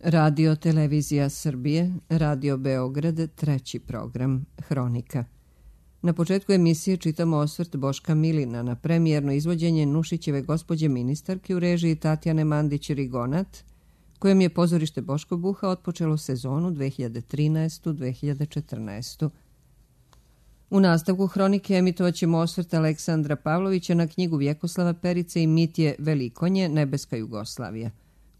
Radio Televizija Srbije, Radio Beograd, treći program, Hronika. Na početku emisije čitamo osvrt Boška Milina na premijerno izvođenje Nušićeve gospođe ministarke u režiji Tatjane Mandić-Rigonat, kojem je pozorište Boško Buha otpočelo sezonu 2013-2014. U nastavku Hronike emitovat ćemo osvrt Aleksandra Pavlovića na knjigu Vjekoslava Perice i Mitje Velikonje, Nebeska Jugoslavija,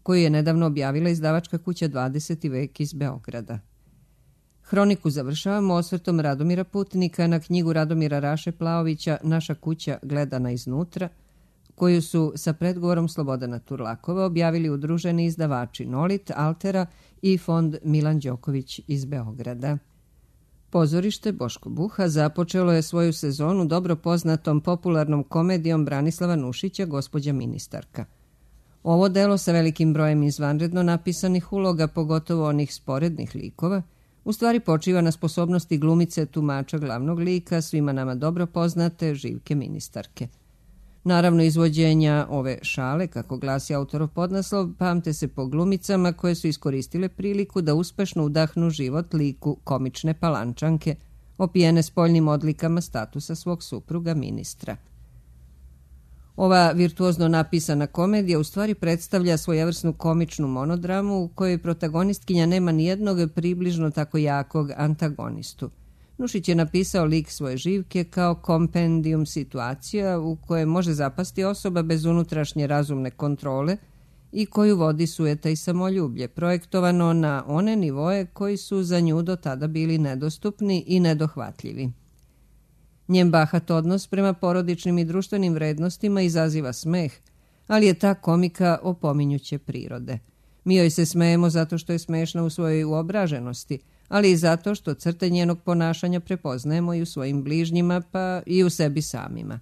koju je nedavno objavila izdavačka kuća 20. vek iz Beograda. Hroniku završavamo osvrtom Radomira Putnika na knjigu Radomira Raše Plaovića Naša kuća gledana iznutra, koju su sa predgovorom Slobodana Turlakova objavili udruženi izdavači Nolit, Altera i fond Milan Đoković iz Beograda. Pozorište Boško Buha započelo je svoju sezonu dobro poznatom popularnom komedijom Branislava Nušića Gospođa ministarka. Ovo delo sa velikim brojem izvanredno napisanih uloga, pogotovo onih sporednih likova, u stvari počiva na sposobnosti glumice tumača glavnog lika, svima nama dobro poznate Živke ministarke. Naravno, izvođenja ove šale, kako glasi autorov podnaslov, pamte se po glumicama koje su iskoristile priliku da uspešno udahnu život liku komične palančanke, opijene spoljnim odlikama statusa svog supruga ministra. Ova virtuozno napisana komedija u stvari predstavlja svojevrsnu komičnu monodramu u kojoj protagonistkinja nema nijednog približno tako jakog antagonistu. Nušić je napisao lik svoje Živke kao kompendijum situacija u koje može zapasti osoba bez unutrašnje razumne kontrole i koju vodi sujeta i samoljublje, projektovano na one nivoe koji su za nju do tada bili nedostupni i nedohvatljivi. Njen bahat odnos prema porodičnim i društvenim vrednostima izaziva smeh, ali je ta komika opominjuće prirode. Mi joj se smejemo zato što je smešna u svojoj uobraženosti, ali i zato što crte njenog ponašanja prepoznajemo i u svojim bližnjima, pa i u sebi samima.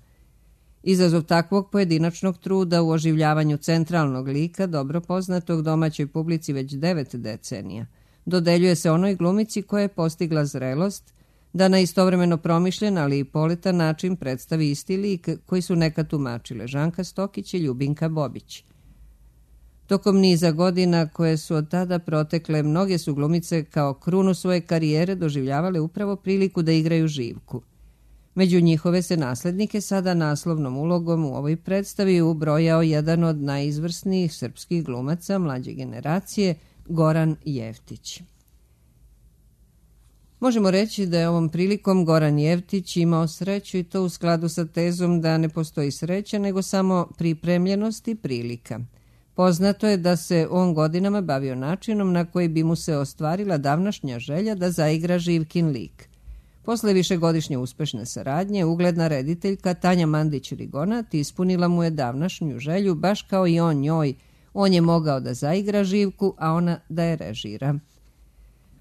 Izazov takvog pojedinačnog truda u oživljavanju centralnog lika, dobro poznatog domaćoj publici već 9 decenija, dodeljuje se onoj glumici koja je postigla zrelost da na istovremeno promišljen, ali i poletan način predstavi isti lik koji su nekad tumačile Žanka Stokić i Ljubinka Bobić. Tokom niza godina koje su od tada protekle, mnoge su glumice kao krunu svoje karijere doživljavale upravo priliku da igraju Živku. Među njihove se naslednike sada naslovnom ulogom u ovoj predstavi ubrojao jedan od najizvrsnijih srpskih glumaca mlađe generacije, Goran Jeftić. Možemo reći da je ovom prilikom Goran Jeftić imao sreću i to u skladu sa tezom da ne postoji sreća, nego samo pripremljenost i prilika. Poznato je da se on godinama bavio načinom na koji bi mu se ostvarila davnašnja želja da zaigra Živkin lik. Posle višegodišnje uspešne saradnje, ugledna rediteljka Tanja Mandić-Rigonat ispunila mu je davnašnju želju, baš kao i on njoj. On je mogao da zaigra Živku, a ona da je režira.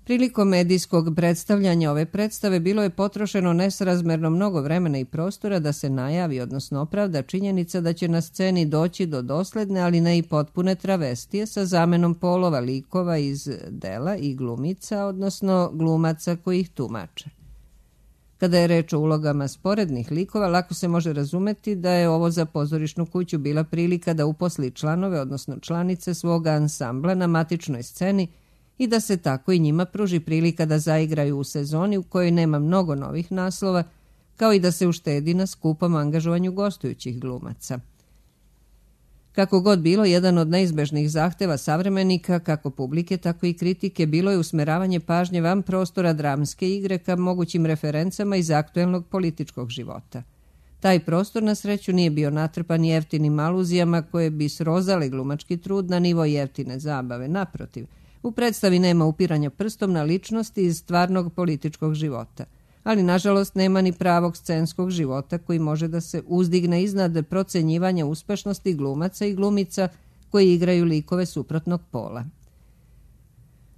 Prilikom medijskog predstavljanja ove predstave bilo je potrošeno nesrazmerno mnogo vremena i prostora da se najavi, odnosno opravda činjenica da će na sceni doći do dosledne, ali ne i potpune travestije sa zamenom polova likova iz dela i glumica, odnosno glumaca koji ih tumače. Kada je reč o ulogama sporednih likova, lako se može razumeti da je ovo za pozorišnu kuću bila prilika da uposli članove, odnosno članice svoga ansambla na matičnoj sceni i da se tako i njima pruži prilika da zaigraju u sezoni u kojoj nema mnogo novih naslova, kao i da se uštedi na skupom angažovanju gostujućih glumaca. Kako god bilo, jedan od neizbežnih zahteva savremenika, kako publike, tako i kritike, bilo je usmeravanje pažnje van prostora dramske igre ka mogućim referencama iz aktuelnog političkog života. Taj prostor na sreću nije bio natrpan jeftinim aluzijama koje bi srozale glumački trud na nivo jeftine zabave. Naprotiv, u predstavi nema upiranja prstom na ličnosti iz stvarnog političkog života, ali nažalost nema ni pravog scenskog života koji može da se uzdigne iznad procenjivanja uspešnosti glumaca i glumica koji igraju likove suprotnog pola.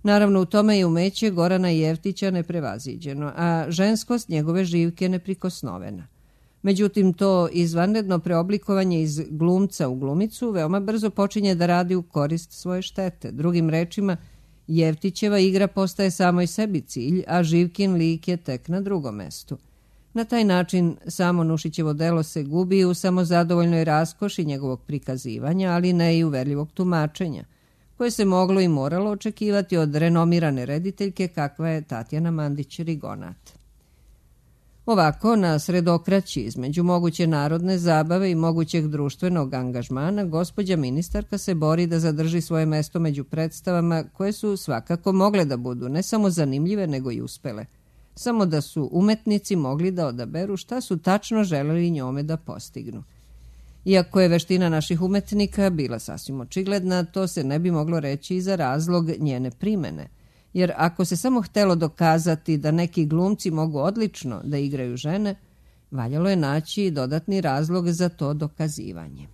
Naravno, u tome je umeće Gorana Jeftića neprevaziđeno, a ženskost njegove Živke neprikosnovena. Međutim, to izvanredno preoblikovanje iz glumca u glumicu veoma brzo počinje da radi u korist svoje štete. Drugim rečima, Jeftićeva igra postaje samoj sebi cilj, a Živkin lik je tek na drugom mestu. Na taj način samo Nušićevo delo se gubi u samozadovoljnoj raskoši njegovog prikazivanja, ali ne i uverljivog tumačenja, koje se moglo i moralo očekivati od renomirane rediteljke kakva je Tatjana Mandić-Rigonat. Ovako, na sredokraći između moguće narodne zabave i mogućeg društvenog angažmana, gospođa ministarka se bori da zadrži svoje mesto među predstavama koje su svakako mogle da budu ne samo zanimljive, nego i uspele. Samo da su umetnici mogli da odaberu šta su tačno želeli njome da postignu. Iako je veština naših umetnika bila sasvim očigledna, to se ne bi moglo reći i za razlog njene primene. Jer ako se samo htelo dokazati da neki glumci mogu odlično da igraju žene, valjalo je naći dodatni razlog za to dokazivanje.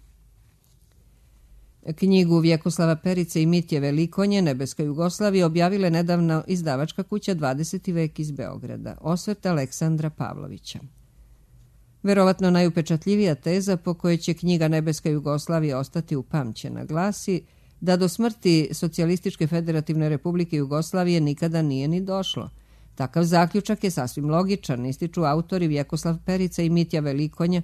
Knjigu Vjekoslava Perice i Mitje Velikonje, Nebeska Jugoslavija, objavila je nedavno izdavačka kuća 20. vek iz Beograda, osvrt Aleksandra Pavlovića. Verovatno najupečatljivija teza po kojoj će knjiga Nebeska Jugoslavija ostati upamćena glasi da do smrti Socijalističke federativne republike Jugoslavije nikada nije ni došlo. Takav zaključak je sasvim logičan, ističu autori Vjekoslav Perica i Mitja Velikonja,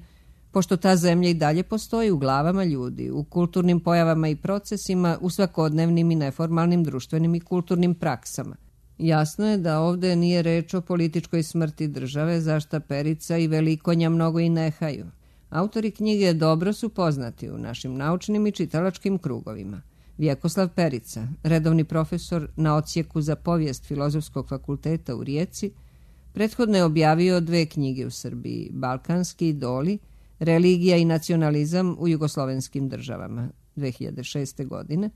pošto ta zemlja i dalje postoji u glavama ljudi, u kulturnim pojavama i procesima, u svakodnevnim i neformalnim društvenim i kulturnim praksama. Jasno je da ovde nije reč o političkoj smrti države, za šta Perica i Velikonja mnogo i nehaju. Autori knjige dobro su poznati u našim naučnim i čitalačkim krugovima. Vjekoslav Perica, redovni profesor na odsjeku za povijest Filozofskog fakulteta u Rijeci, prethodno je objavio 2 knjige u Srbiji, Balkanski idoli, Religija i nacionalizam u jugoslovenskim državama, 2006. godine,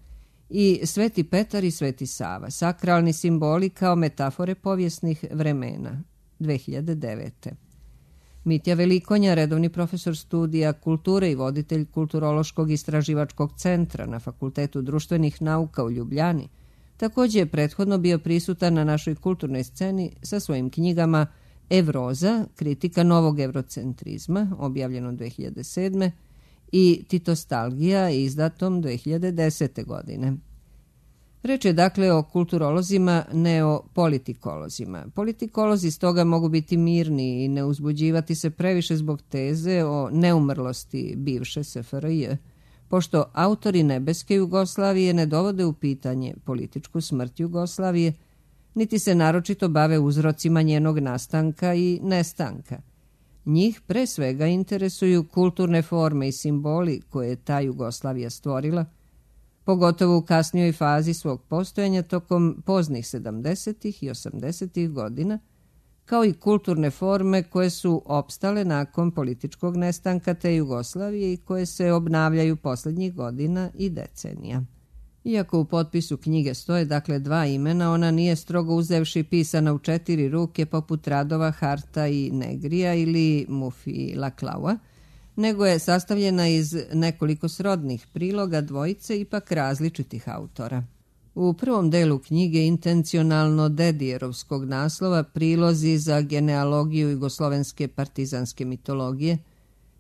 i Sveti Petar i Sveti Sava, sakralni simboli kao metafore povijesnih vremena, 2009. Mitja Velikonja, redovni profesor studija kulture i voditelj Kulturološkog istraživačkog centra na Fakultetu društvenih nauka u Ljubljani, također je prethodno bio prisutan na našoj kulturnoj sceni sa svojim knjigama Evroza, kritika novog evrocentrizma, objavljeno 2007. i Titostalgija, izdatom 2010. godine. Reč je dakle o kulturolozima, ne o politikolozima. Politikolozi stoga mogu biti mirni i ne uzbuđivati se previše zbog teze o neumrlosti bivše SFRJ, pošto autori Nebeske Jugoslavije ne dovode u pitanje političku smrt Jugoslavije, niti se naročito bave uzrocima njenog nastanka i nestanka. Njih pre svega interesuju kulturne forme i simboli koje je ta Jugoslavija stvorila, pogotovo u kasnijoj fazi svog postojanja tokom poznih 70. i 80. godina, kao i kulturne forme koje su opstale nakon političkog nestanka te Jugoslavije i koje se obnavljaju posljednjih godina i decenija. Iako u potpisu knjige stoje dakle 2 imena, ona nije strogo uzevši pisana u 4 ruke poput radova Harta i Negrija ili Mufi Laklaua, nego je sastavljena iz nekoliko srodnih priloga dvojice ipak različitih autora. U prvom delu knjige intencionalno dedijerovskog naslova Prilozi za genealogiju jugoslovenske partizanske mitologije,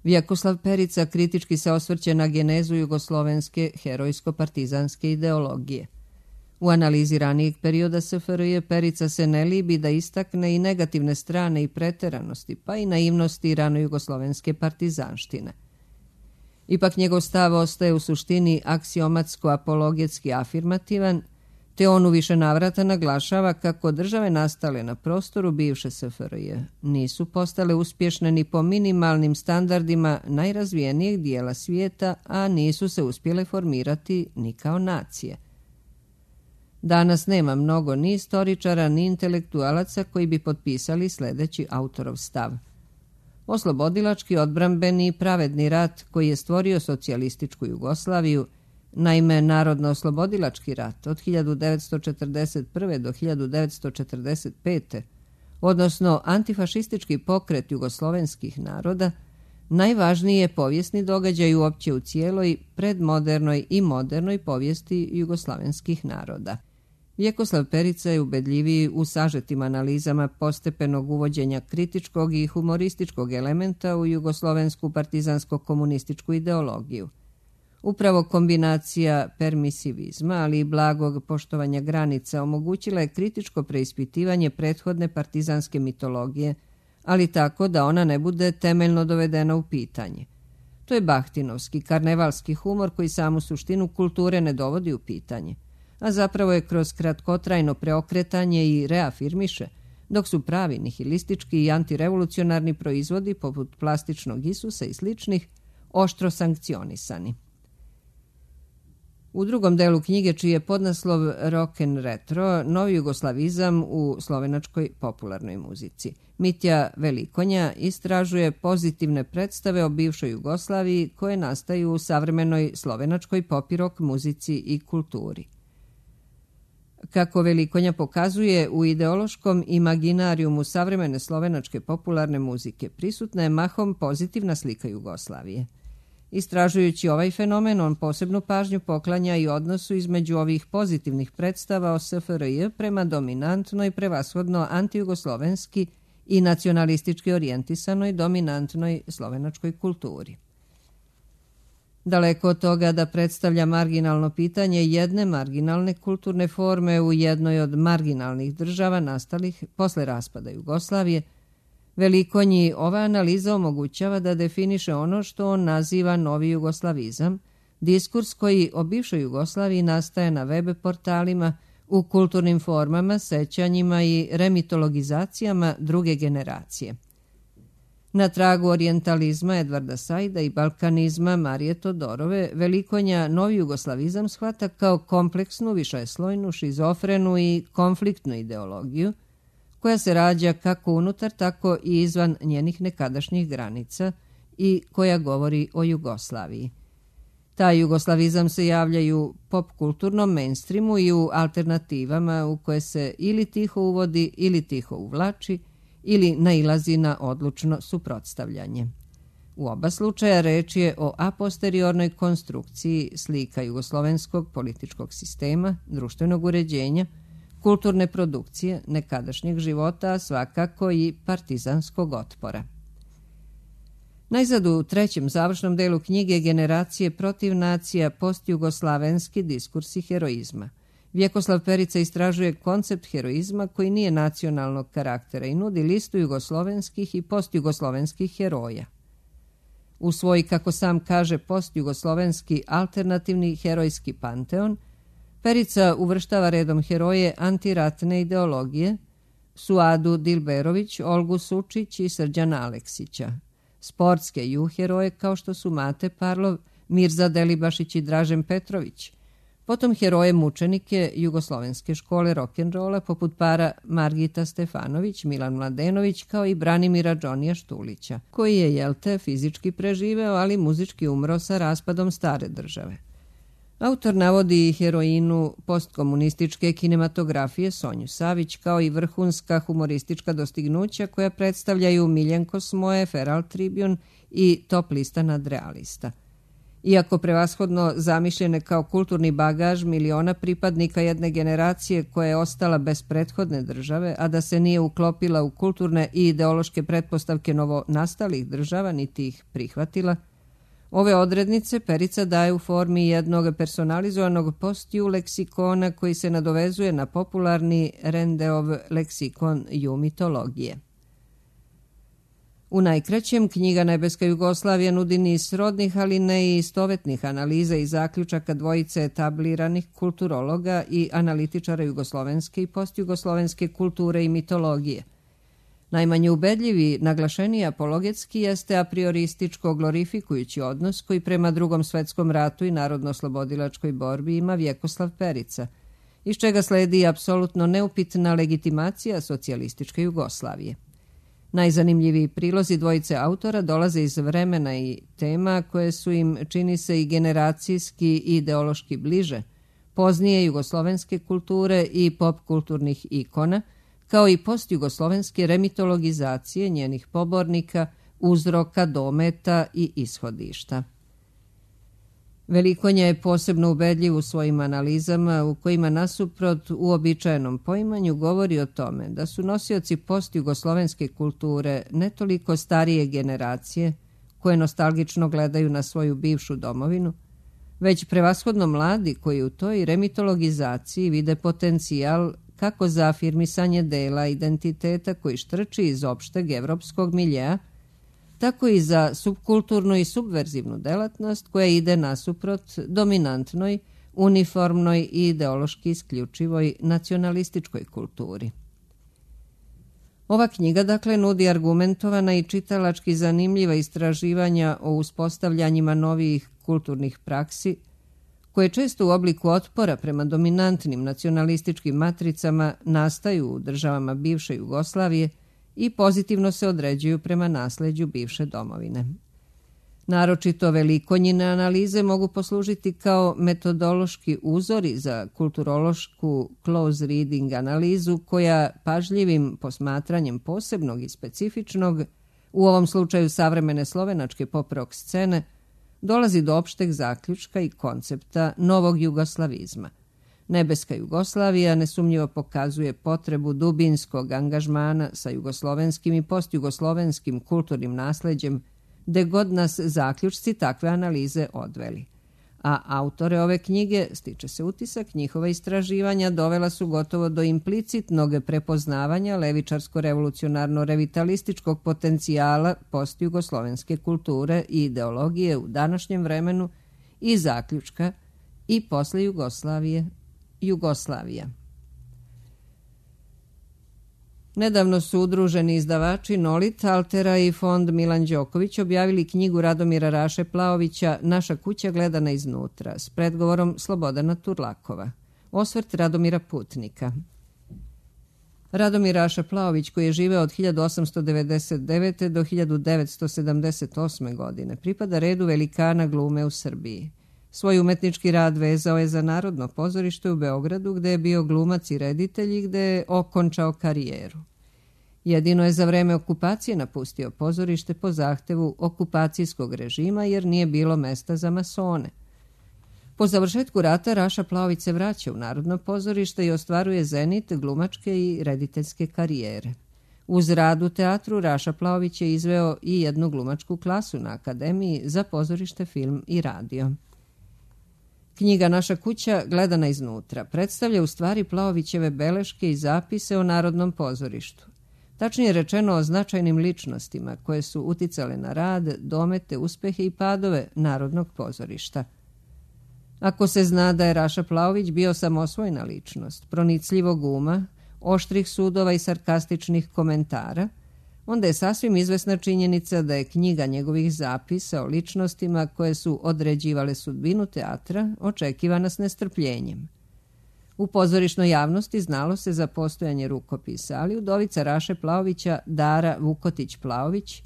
Vjekoslav Perica kritički se osvrće na genezu jugoslovenske herojsko-partizanske ideologije. U analizi ranijeg perioda SFRJ Perica se ne libi da istakne i negativne strane i preteranosti, pa i naivnosti rano-jugoslovenske partizanštine. Ipak njegov stav ostaje u suštini aksiomatsko-apologetski afirmativan, te on u više navrata naglašava kako države nastale na prostoru bivše SFRJ nisu postale uspješne ni po minimalnim standardima najrazvijenijeg dijela svijeta, a nisu se uspjele formirati ni kao nacije. Danas nema mnogo ni istoričara, ni intelektualaca koji bi potpisali sljedeći autorov stav. Oslobodilački, odbrambeni i pravedni rat koji je stvorio socijalističku Jugoslaviju, naime Narodno-oslobodilački rat od 1941. do 1945. odnosno antifašistički pokret jugoslovenskih naroda, najvažniji je povijesni događaj uopće u cijeloj predmodernoj i modernoj povijesti jugoslavenskih naroda. Vjekoslav Perica je ubedljiviji u sažetim analizama postepenog uvođenja kritičkog i humorističkog elementa u jugoslovensku partizansko-komunističku ideologiju. Upravo kombinacija permisivizma, ali i blagog poštovanja granica omogućila je kritičko preispitivanje prethodne partizanske mitologije, ali tako da ona ne bude temeljno dovedena u pitanje. To je bahtinovski, karnevalski humor koji samu suštinu kulture ne dovodi u pitanje. a zapravo je kroz kratkotrajno preokretanje i reafirmiše, dok su pravi nihilistički i antirevolucionarni proizvodi, poput plastičnog Isusa i sličnih, oštro sankcionisani. U drugom delu knjige, čiji je podnaslov Rock'n Retro, novi jugoslavizam u slovenačkoj popularnoj muzici, Mitja Velikonja istražuje pozitivne predstave o bivšoj Jugoslaviji koje nastaju u savremenoj slovenačkoj pop i rock muzici i kulturi. Kako Velikonja pokazuje, u ideološkom imaginarijumu savremene slovenačke popularne muzike prisutna je mahom pozitivna slika Jugoslavije. Istražujući ovaj fenomen, on posebnu pažnju poklanja i odnosu između ovih pozitivnih predstava o SFRJ prema dominantnoj, prevashodno antijugoslovenski i nacionalistički orijentisanoj dominantnoj slovenačkoj kulturi. Daleko od toga da predstavlja marginalno pitanje jedne marginalne kulturne forme u jednoj od marginalnih država nastalih posle raspada Jugoslavije, Velikonji ova analiza omogućava da definiše ono što on naziva novi jugoslavizam, diskurs koji o bivšoj Jugoslaviji nastaje na web portalima, u kulturnim formama, sećanjima i remitologizacijama druge generacije. Na tragu orijentalizma Edvarda Saida i balkanizma Marije Todorove, Velikonja novi jugoslavizam shvata kao kompleksnu, višeslojnu, šizofrenu i konfliktnu ideologiju, koja se rađa kako unutar, tako i izvan njenih nekadašnjih granica i koja govori o Jugoslaviji. Taj jugoslavizam se javlja i u pop-kulturnom mainstreamu i u alternativama u koje se ili tiho uvodi ili tiho uvlači ili nailazi na odlučno suprotstavljanje. U oba slučaja reč je o a posteriornoj konstrukciji slika jugoslovenskog političkog sistema, društvenog uređenja, kulturne produkcije, nekadašnjeg života, a svakako i partizanskog otpora. Najzad u trećem završnom delu knjige Generacije protiv nacija, postjugoslavenski diskursi heroizma. Vjekoslav Perica istražuje koncept heroizma koji nije nacionalnog karaktera i nudi listu jugoslovenskih i postjugoslovenskih heroja. U svoj, kako sam kaže, postjugoslovenski alternativni herojski panteon, Perica uvrštava redom heroje antiratne ideologije, Suadu Dilberović, Olgu Sučić i Srđana Aleksića, sportske heroje kao što su Mate Parlov, Mirza Delibašić i Dražen Petrović, potom heroje mučenike jugoslovenske škole rock'n'rolla poput para Margita Stefanović, Milan Mladenović kao i Branimira Džonija Štulića, koji je, fizički preživeo, ali muzički umro sa raspadom stare države. Autor navodi i heroinu postkomunističke kinematografije Sonju Savić kao i vrhunska humoristička dostignuća koja predstavljaju Miljenko Smoje, Feral Tribune i Top lista nadrealista. Iako prevashodno zamišljene kao kulturni bagaž miliona pripadnika jedne generacije koja je ostala bez prethodne države, a da se nije uklopila u kulturne i ideološke pretpostavke novonastalih država, niti ih prihvatila, ove odrednice Perica daje u formi jednog personalizovanog postju leksikona koji se nadovezuje na popularni Rendeov leksikon mitologije. U najkraćem, knjiga Nebeska Jugoslavija nudi niz srodnih, ali ne i istovetnih analiza i zaključaka dvojice etabliranih kulturologa i analitičara jugoslovenske i postjugoslovenske kulture i mitologije. Najmanje ubedljivi, naglašeniji apologetski jeste apriorističko glorifikujući odnos koji prema Drugom svetskom ratu i narodno-oslobodilačkoj borbi ima Vjekoslav Perica, iz čega sledi apsolutno neupitna legitimacija socijalističke Jugoslavije. Najzanimljiviji prilozi dvojice autora dolaze iz vremena i tema koje su im, čini se, i generacijski i ideološki bliže, poznije jugoslovenske kulture i pop-kulturnih ikona, kao i postjugoslovenske remitologizacije njenih pobornika, uzroka, dometa i ishodišta. Velikonja je posebno ubedljiv u svojim analizama u kojima nasuprot uobičajenom poimanju govori o tome da su nosioci postjugoslovenske kulture ne toliko starije generacije koje nostalgično gledaju na svoju bivšu domovinu, već prevashodno mladi koji u toj remitologizaciji vide potencijal kako za afirmisanje dela identiteta koji štrči iz opšteg evropskog miljeja, tako i za subkulturnu i subverzivnu delatnost koja ide nasuprot dominantnoj, uniformnoj i ideološki isključivoj nacionalističkoj kulturi. Ova knjiga, dakle, nudi argumentovana i čitalački zanimljiva istraživanja o uspostavljanjima novih kulturnih praksi, koje često u obliku otpora prema dominantnim nacionalističkim matricama nastaju u državama bivše Jugoslavije i pozitivno se određuju prema nasleđu bivše domovine. Naročito Velikonjine analize mogu poslužiti kao metodološki uzori za kulturološku close reading analizu koja pažljivim posmatranjem posebnog i specifičnog, u ovom slučaju savremene slovenačke pop rock scene, dolazi do opšteg zaključka i koncepta novog jugoslavizma. Nebeska Jugoslavija nesumnjivo pokazuje potrebu dubinskog angažmana sa jugoslovenskim i postjugoslovenskim kulturnim nasleđem, gde god nas zaključci takve analize odveli. A autore ove knjige, stiče se utisak, njihova istraživanja dovela su gotovo do implicitnog prepoznavanja levičarsko-revolucionarno-revitalističkog potencijala postjugoslovenske kulture i ideologije u današnjem vremenu i zaključka i posle Jugoslavije, Jugoslavija. Nedavno su udruženi izdavači Nolit, Altera i Fond Milan Đoković objavili knjigu Radomira Raše Plaovića Naša kuća gledana iznutra s predgovorom Slobodana Turlakova. Osvrt Radomira Putnika. Radomir Raša Plaović, koji je živeo od 1899. do 1978. godine, pripada redu velikana glume u Srbiji. Svoj umetnički rad vezao je za Narodno pozorište u Beogradu, gde je bio glumac i reditelj i gde je okončao karijeru. Jedino je za vreme okupacije napustio pozorište po zahtevu okupacijskog režima jer nije bilo mesta za masone. Po završetku rata Raša Plaović se vraća u Narodno pozorište i ostvaruje zenit glumačke i rediteljske karijere. Uz rad u teatru Raša Plaović je izveo i jednu glumačku klasu na Akademiji za pozorište, film i radio. Knjiga Naša kuća gledana iznutra predstavlja u stvari Plaovićeve beleške i zapise o Narodnom pozorištu. Tačnije rečeno o značajnim ličnostima koje su uticale na rad, domete, uspehe i padove Narodnog pozorišta. Ako se zna da je Raša Plaović bio samosvojna ličnost, pronicljivog uma, oštrih sudova i sarkastičnih komentara, onda je sasvim izvesna činjenica da je knjiga njegovih zapisa o ličnostima koje su određivale sudbinu teatra očekivana s nestrpljenjem. U pozorišnoj javnosti znalo se za postojanje rukopisa, ali udovica Raše Plaovića, Dara Vukotić-Plaović,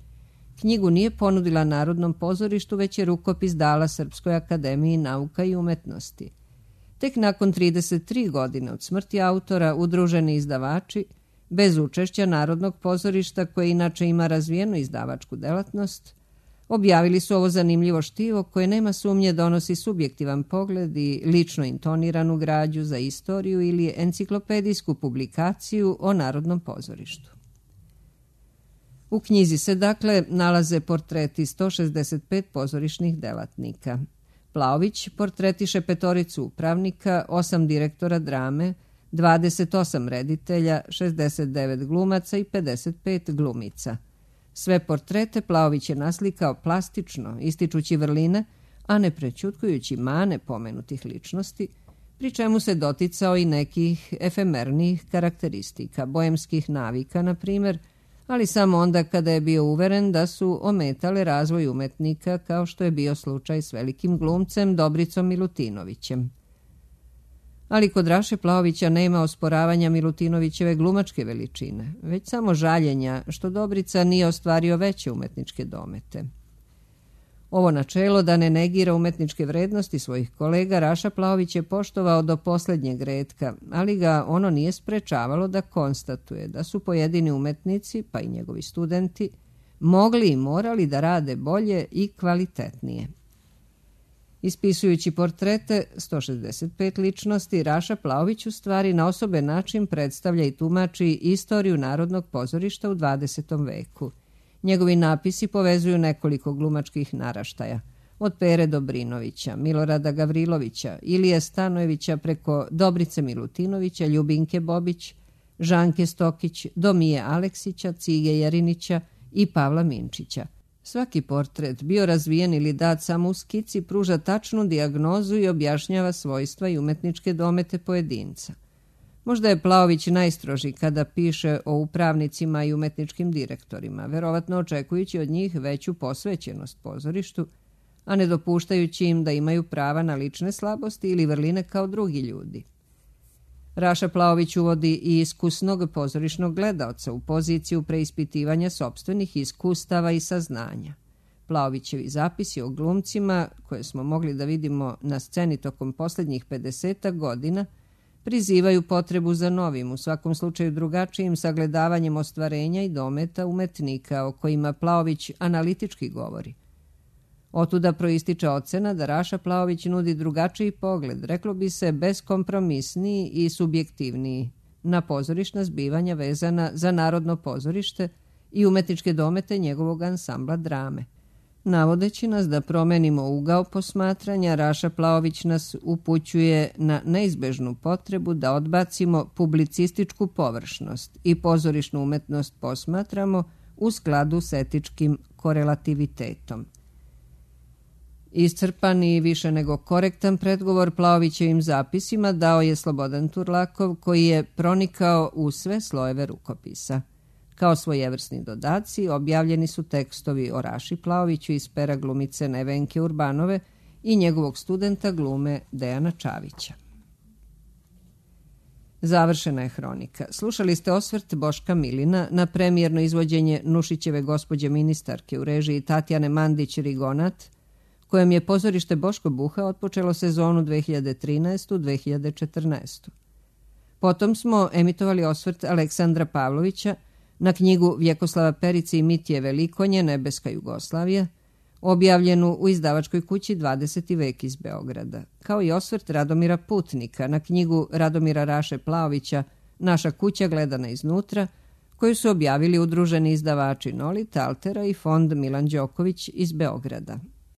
knjigu nije ponudila Narodnom pozorištu, već je rukopis dala Srpskoj akademiji nauka i umetnosti. Tek nakon 33 godine od smrti autora, udruženi izdavači, bez učešća Narodnog pozorišta, koje inače ima razvijenu izdavačku delatnost, objavili su ovo zanimljivo štivo koje nema sumnje donosi subjektivan pogled i lično intoniranu građu za istoriju ili enciklopedijsku publikaciju o Narodnom pozorištu. U knjizi se dakle nalaze portreti 165 pozorišnih delatnika. Plaović portretiše 5 upravnika, 8 direktora drame, 28 reditelja, 69 glumaca i 55 glumica. Sve portrete Plaović je naslikao plastično, ističući vrline, a ne prećutkujući mane pomenutih ličnosti, pri čemu se doticao i nekih efemernijih karakteristika, bojemskih navika, na primjer, ali samo onda kada je bio uveren da su ometale razvoj umetnika, kao što je bio slučaj s velikim glumcem Dobricom Milutinovićem. Ali kod Raše Plaovića nema osporavanja Milutinovićeve glumačke veličine, već samo žaljenja što Dobrica nije ostvario veće umetničke domete. Ovo načelo da ne negira umetničke vrednosti svojih kolega Raša Plaović je poštovao do posljednjeg retka, ali ga ono nije sprečavalo da konstatuje da su pojedini umetnici, pa i njegovi studenti, mogli i morali da rade bolje i kvalitetnije. Ispisujući portrete 165 ličnosti, Raša Plaović u stvari na osoben način predstavlja i tumači istoriju Narodnog pozorišta u 20. veku. Njegovi napisi povezuju nekoliko glumačkih naraštaja, od Pere Dobrinovića, Milorada Gavrilovića, Ilije Stanojevića preko Dobrice Milutinovića, Ljubinke Bobić, Žanke Stokić, do Mije Aleksića, Cige Jerinića i Pavla Minčića. Svaki portret, bio razvijen ili dat samo u skici, pruža tačnu dijagnozu i objašnjava svojstva i umetničke domete pojedinca. Možda je Plaović najstroži kada piše o upravnicima i umetničkim direktorima, verovatno očekujući od njih veću posvećenost pozorištu, a ne dopuštajući im da imaju prava na lične slabosti ili vrline kao drugi ljudi. Raša Plaović uvodi i iskusnog pozorišnog gledaoca u poziciju preispitivanja sopstvenih iskustava i saznanja. Plaovićevi zapisi o glumcima, koje smo mogli da vidimo na sceni tokom posljednjih 50 godina, prizivaju potrebu za novim, u svakom slučaju drugačijim sagledavanjem ostvarenja i dometa umetnika o kojima Plaović analitički govori. Otuda proističe ocena da Raša Plaović nudi drugačiji pogled, reklo bi se beskompromisniji i subjektivniji, na pozorišna zbivanja vezana za Narodno pozorište i umetničke domete njegovog ansambla drame. Navodeći nas da promenimo ugao posmatranja, Raša Plaović nas upućuje na neizbežnu potrebu da odbacimo publicističku površnost i pozorišnu umetnost posmatramo u skladu s etičkim korelativitetom. Iscrpan i više nego korektan predgovor Plaovićevim zapisima dao je Slobodan Turlakov, koji je pronikao u sve slojeve rukopisa. Kao svojevrsni dodaci objavljeni su tekstovi o Raši Plaoviću iz pera glumice Nevenke Urbanove i njegovog studenta glume Dejana Čavića. Završena je hronika. Slušali ste osvrt Boška Milina na premijerno izvođenje Nušićeve Gospođe ministarke u režiji Tatjane Mandić-Rigonat, kojem je pozorište Boško Buha otpočelo sezonu 2013-2014. Potom smo emitovali osvrt Aleksandra Pavlovića na knjigu Vjekoslava Perice i Mitije Velikonje, Nebeska Jugoslavija, objavljenu u izdavačkoj kući 20. vek iz Beograda, kao i osvrt Radomira Putnika na knjigu Radomira Raše Plaovića Naša kuća gledana iznutra, koju su objavili udruženi izdavači Nolita, Altera i fond Milan Đoković iz Beograda.